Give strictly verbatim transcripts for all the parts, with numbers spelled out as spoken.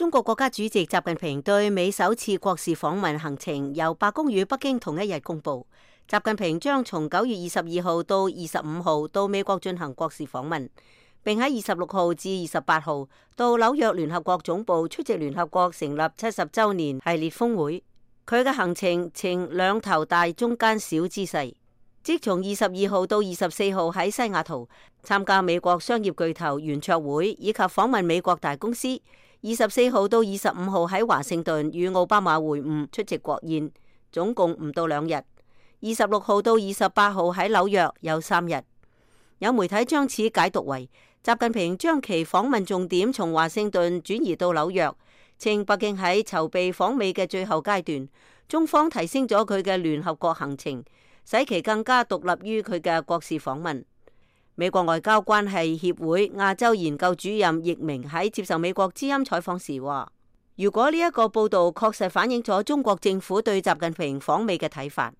中國國家主席習近平對美首次國事訪問行程由白宮與北京同一日公布。習近平將從九月二十二號到二十五號到美國進行國事訪問，並喺二十六號至二十八號到紐約聯合國總部出席聯合國成立七十週年系列峰會。佢嘅行程呈兩頭大中間小姿勢，即從二十二號到二十四號喺西雅圖參加美國商業巨頭圓桌會以及訪問美國大公司。二十四號到二十五號喺華盛頓與奧巴馬會晤出席國宴，總共唔到兩日。二十六號到二十八號喺紐約有三日。有媒體將此解讀為習近平將其訪問重點從華盛頓轉移到紐約，稱北京喺籌備訪美嘅最後階段，中方提升咗佢嘅聯合國行程，使其更加獨立於佢嘅國事訪問。美國外交關係協會亞洲研究主任易明喺接受美國之音採訪時話，如果呢一個報道確實反映咗中國政府對習近平訪美嘅睇法，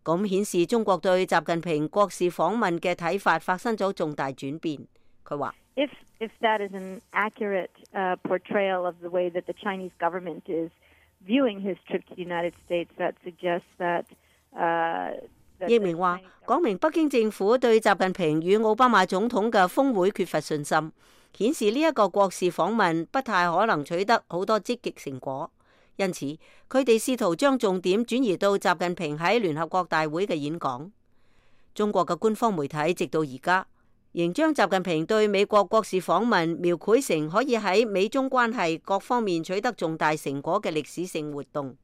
咁顯示中國對習近平國事訪問嘅睇法發生咗重大轉變。佢話，If if that is an accurate uh, portrayal of the way that the Chinese government is viewing his trip to the United States, that suggests that uh易明話，講明北京政府對習近平與奧巴馬總統嘅峰會缺乏信心，顯示呢一個國事訪問不太可能取得好多積極成果。因此，佢哋試圖將重點轉移到習近平喺聯合國大會嘅演講。中國嘅官方媒體直到而家仍將習近平對美國國事訪問描繪成可以喺美中關係各方面取得重大成果嘅歷史性活動。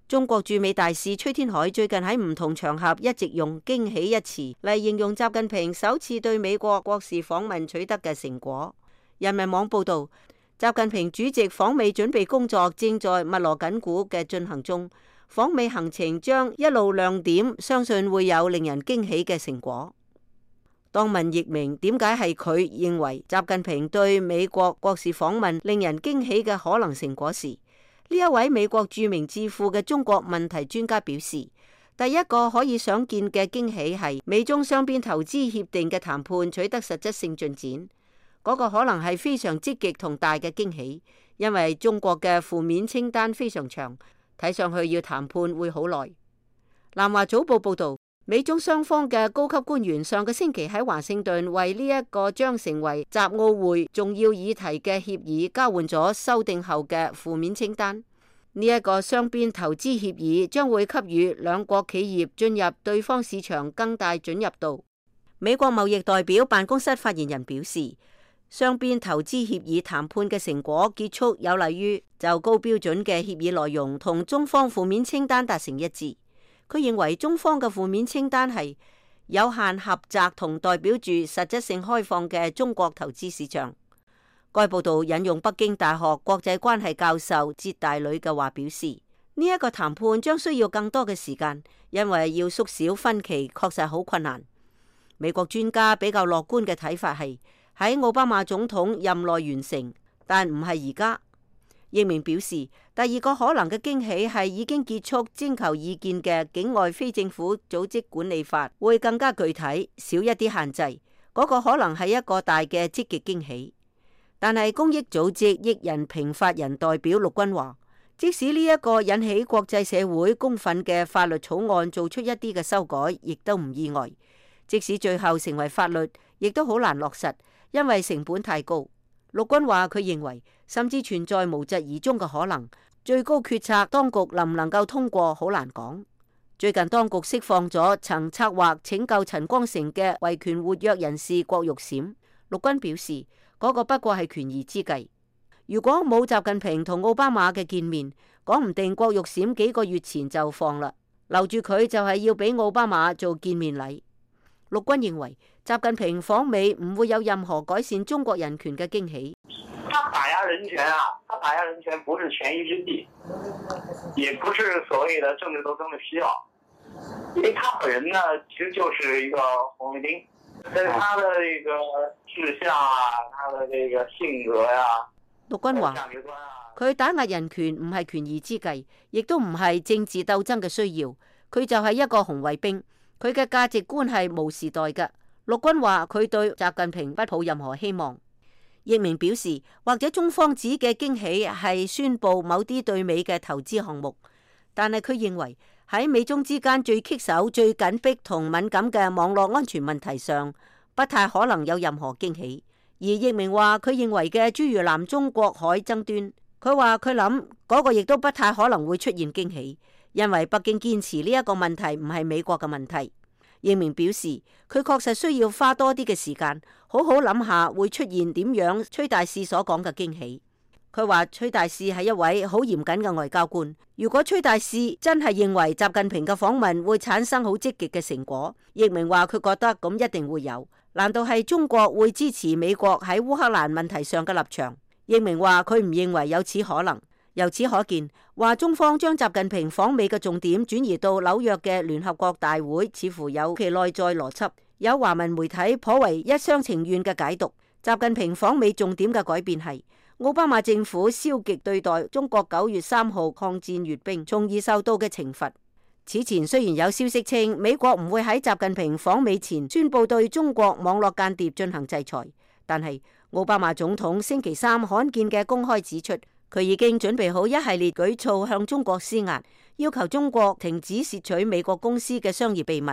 中國駐美大使崔天凱最近喺唔同場合一直用驚喜一詞嚟形容習近平首次對美國國事訪問取得嘅成果。人民網報道，習近平主席訪美準備工作正在密鑼緊鼓嘅進行中，訪美行程將一路亮點，相信會有令人驚喜嘅成果。當問易明點解係佢認為習近平對美國國事訪問令人驚喜嘅可能成果時，呢一位美國著名智庫嘅中國問題專家表示，第一個可以想見嘅驚喜係美中雙邊投資協定嘅談判取得實質性進展，嗰個可能係非常積極同大嘅驚喜，因為中國嘅負面清單非常長，睇上去要談判會好耐。南華早報報道，美中雙方嘅高級官員上個星期喺華盛頓為呢一個將成為習奧會重要議題嘅協議交換咗修訂後嘅負面清單。呢一個雙邊投資協議將會給予兩國企業進入對方市場更大准入度。美國貿易代表辦公室發言人表示，雙邊投資協議談判嘅成果結束有利於就高標準嘅協議內容同中方負面清單達成一致。佢認為中方嘅負面清單係有限狹窄同代表住實質性開放嘅中國投資市場。該報道引用北京大學國際關係教授哲大呂嘅話表示，呢一個談判將需要更多嘅時間，因為要縮小分歧確實好困難。美國專家比較樂觀嘅睇法係喺奧巴馬總統任內完成，但唔係而家。易明表示，第二個可能嘅驚喜係已經結束徵求意見嘅境外非政府組織管理法會更加具體，少一啲限制，嗰個可能係一個大嘅積極驚喜。但係公益組織益人評法人代表陸軍話，即使呢一個引起國際社會公憤嘅法律草案做出一啲嘅修改，亦都唔意外。即使最後成為法律，亦都好難落實，因為成本太高。陸軍話佢認為甚至存在無疾而終嘅可能，最高決策當局能唔能夠通過好難講。最近當局釋放咗曾策劃拯救陳光誠嘅維權活躍人士郭玉閃，陸軍表示嗰、那個不過係權宜之計。如果冇習近平同奧巴馬嘅見面，講唔定郭玉閃幾個月前就放啦，留住佢就係要俾奧巴馬做見面禮。陸軍認為習近平訪美唔會有任何改善中國人權嘅驚喜。他打壓人權啊，他打壓人權不是權宜之計，也不是所謂的政治鬥爭的需要，因為他本人呢，其實就是一個紅衛兵，但是他的這個志向啊，他的這個性格呀、啊，陸軍話佢打壓人權唔係權宜之計，亦都唔係政治鬥爭嘅需要，佢就係一個紅衛兵。佢嘅價值觀係無時代嘅。陸軍話佢對習近平不抱任何希望。譯明表示，或者中方指嘅驚喜係宣布某啲對美嘅投資項目，但係佢認為喺美中之間最棘手、最緊迫同敏感嘅網絡安全問題上，不太可能有任何驚喜。而譯明話佢認為嘅諸如南中國海爭端，佢話佢諗嗰個亦都不太可能會出現驚喜，因為北京堅持呢一個問題唔係美國嘅問題。譯明表示，佢確實需要花多啲嘅時間，好好諗下會出現點樣崔大使所講嘅驚喜。佢話崔大使係一位好嚴謹嘅外交官，如果崔大使真係認為習近平嘅訪問會產生好積極嘅成果，譯明話佢覺得咁一定會有。難道係中國會支持美國喺烏克蘭問題上嘅立場？譯明話佢唔認為有此可能。由此可見，話中方將習近平訪美嘅重點轉移到紐約嘅聯合國大會，似乎有其內在邏輯。有華文媒體頗為一廂情願嘅解讀，習近平訪美重點嘅改變係奧巴馬政府消極對待中國九月三號抗戰閱兵，從而受到嘅懲罰。此前雖然有消息稱美國唔會喺習近平訪美前宣布對中國網絡間諜進行制裁，但係奧巴馬總統星期三罕見嘅公開指出，佢已經準備好一系列舉措向中國施壓，要求中國停止竊取美國公司嘅商業秘密。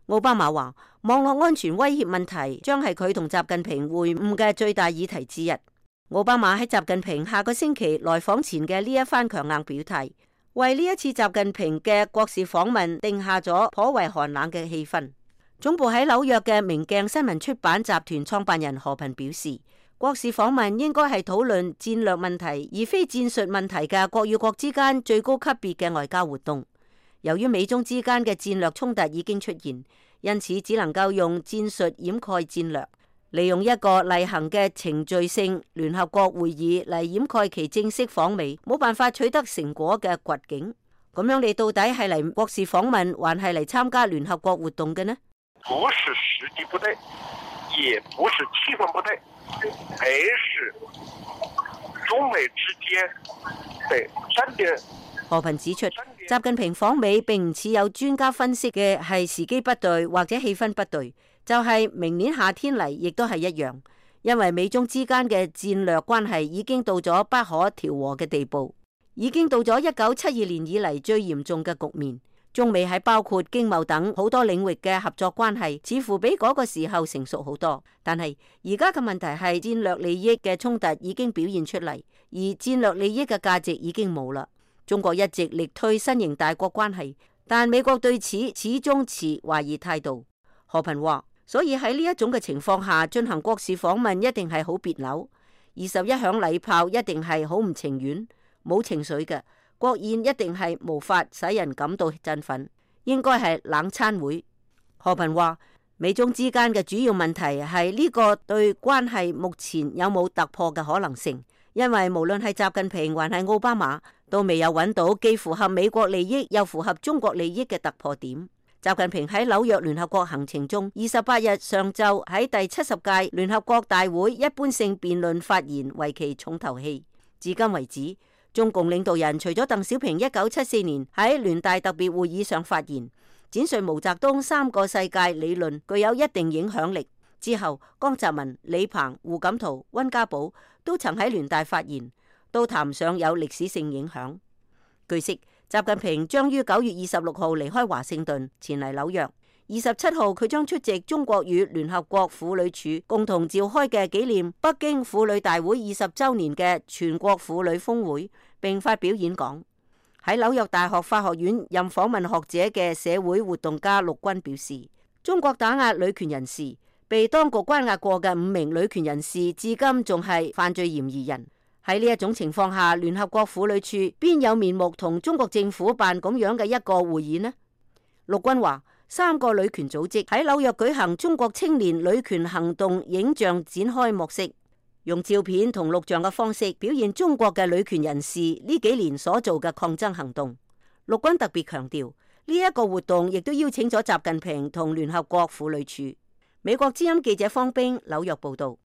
奧巴馬話，網絡安全威脅問題將係佢同習近平會晤嘅最大議題之一。奧巴馬喺習近平下個星期來訪前嘅呢一番強硬表態，為呢一次習近平嘅國事訪問定下咗頗為寒冷嘅氣氛。總部喺紐約嘅明鏡新聞出版集團創辦人何頻表示，國事訪問應該係討論戰略問題而非戰術問題嘅國與國之間最高級別嘅外交活動。由於美中之間嘅戰略衝突已經出現，因此只能夠用戰術掩蓋戰略，利用一個例行嘅程序性聯合國會議嚟掩蓋其正式訪美冇辦法取得成果嘅掘境。咁樣你到底係嚟國事訪問，還係嚟參加聯合國活動嘅呢？不是時機不對，也不是氣氛不對，而是中美之間對戰略。何頻指出，習近平訪美並唔似有專家分析嘅係時機不對或者氣氛不對，就係、是、明年夏天嚟亦都係一樣，因為美中之間嘅戰略關係已經到咗不可調和嘅地步，已經到咗一九七二年以嚟最嚴重嘅局面。中美喺包括經貿等好多領域嘅合作關係，似乎比嗰個時候成熟好多。但係而家嘅問題係戰略利益嘅衝突已經表現出嚟，而戰略利益嘅價值已經冇啦。中國一直力推新型大國關係，但美國對此始終持懷疑態度。何頻話，所以喺呢一種嘅情況下進行國事訪問一定係好別扭，二十一響禮炮一定係好唔情願，冇情緒嘅。國宴一定係無法使人感到振奮，應該係冷餐會。何頻話，美中之間嘅主要問題係呢個對關係目前有冇突破嘅可能性，因為無論係習近平還係奧巴馬都未有揾到既符合美國利益又符合中國利益嘅突破點。習近平喺紐約聯合國行程中，二十八日上晝喺第七十屆聯合國大會一般性辯論發言，為其重頭戲。至今為止，中共領導人除咗鄧小平一九七四年喺聯大特別會議上發言，展述毛澤東三個世界理論具有一定影響力之後，江澤民、李鵬、胡錦濤、溫家寶都曾喺聯大發言，都談上有歷史性影響。據悉，習近平將於九月二十六號離開華盛頓前嚟紐約。二十七號佢將出席中國與聯合國婦女署共同召開嘅紀念北京婦女大會二十週年嘅全國婦女峰會，並發表演講。喺紐約大學法學院任訪問學者嘅社會活動家陸軍表示，中國打壓女權人士，被當局關押過嘅五名女權人士至今仲係犯罪嫌疑人。喺呢一種情況下，聯合國婦女處邊有面目同中國政府辦咁樣嘅一個會議呢？陸軍話，三個女權組織喺紐約舉行中國青年女權行動影像展開幕式，用照片同錄像嘅方式表現中國嘅女權人士呢幾年所做嘅抗爭行動。陸軍特別強調，呢一個活動亦都邀請咗習近平同聯合國婦女處。美國之音記者方冰紐約報道。